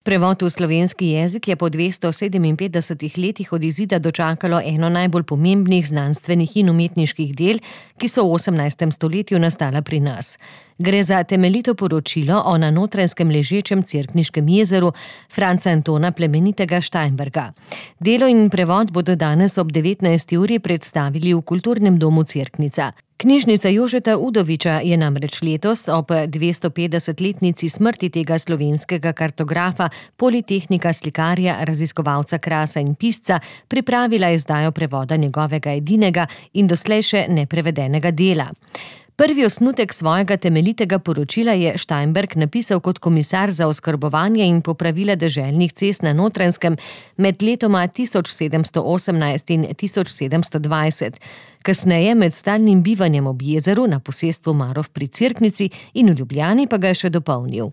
Prevod v slovenski jezik je po 257 letih od izida dočakalo eno najbolj pomembnih znanstvenih in umetniških del, ki so v 18. stoletju nastala pri nas. Gre za temeljito poročilo o na Notranjskem ležečem Cerkniškem jezeru Franca Antona Plemenitega Steinberga. Delo in prevod bodo danes ob 19. uri predstavili v Kulturnem domu Cerknica. Knjižnica Jožeta Udoviča je namreč letos ob 250-letnici smrti tega slovenskega kartografa, politehnika, slikarja, raziskovalca krasa in pisca pripravila izdajo prevoda njegovega edinega in doslej še neprevedenega dela. Prvi osnutek svojega temeljitega poročila je Steinberg napisal kot komisar za oskrbovanje in popravila deželnih cest na Notranjskem med letoma 1718 in 1720. Kasneje med stalnim bivanjem ob jezeru na posestvu Marof pri Cerknici in v Ljubljani pa ga je še dopolnil.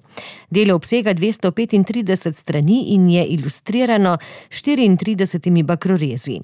Delo obsega 235 strani in je ilustrirano 34 bakrorezi.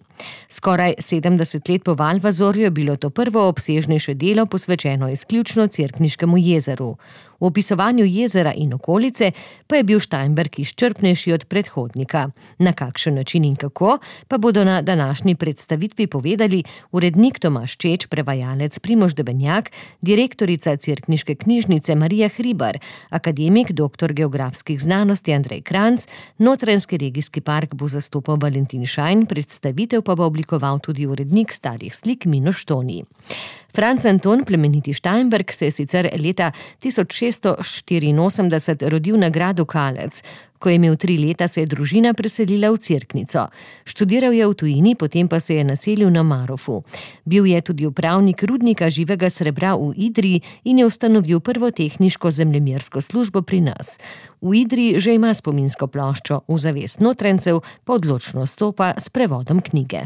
Skoraj 70 let po Valvazorju je bilo to prvo obsežnejše delo posvečeno izključno Cerkniškemu jezeru. V opisovanju jezera in okolice pa je bil Steinberg izčrpnejši od predhodnika. Na kakšen način in kako, pa bodo na današnji predstavitvi povedali urednik Tomaž Čeč, prevajalec Primož Debenjak, direktorica Cerkniške knjižnice Marija Hribar, akademik, doktor geografskih znanosti Andrej Kranjc, Notranjski regijski park bo zastopal Valentin Šajn, predstavitev pa bo oblikoval tudi urednik starih slik Miloš Toni. Franc Anton Plemeniti Steinberg se je sicer leta 1684 rodil na gradu Kalec. Ko je imel 3 leta, se je družina preselila v Cerknico. Študiral je v tujini, potem pa se je naselil na Marofu. Bil je tudi upravnik rudnika živega srebra v Idriji in je ustanovil prvo tehniško zemljemersko službo pri nas. V Idriji že ima spominsko ploščo, v zavest Notranjcev pa odločno stopa s prevodom knjige.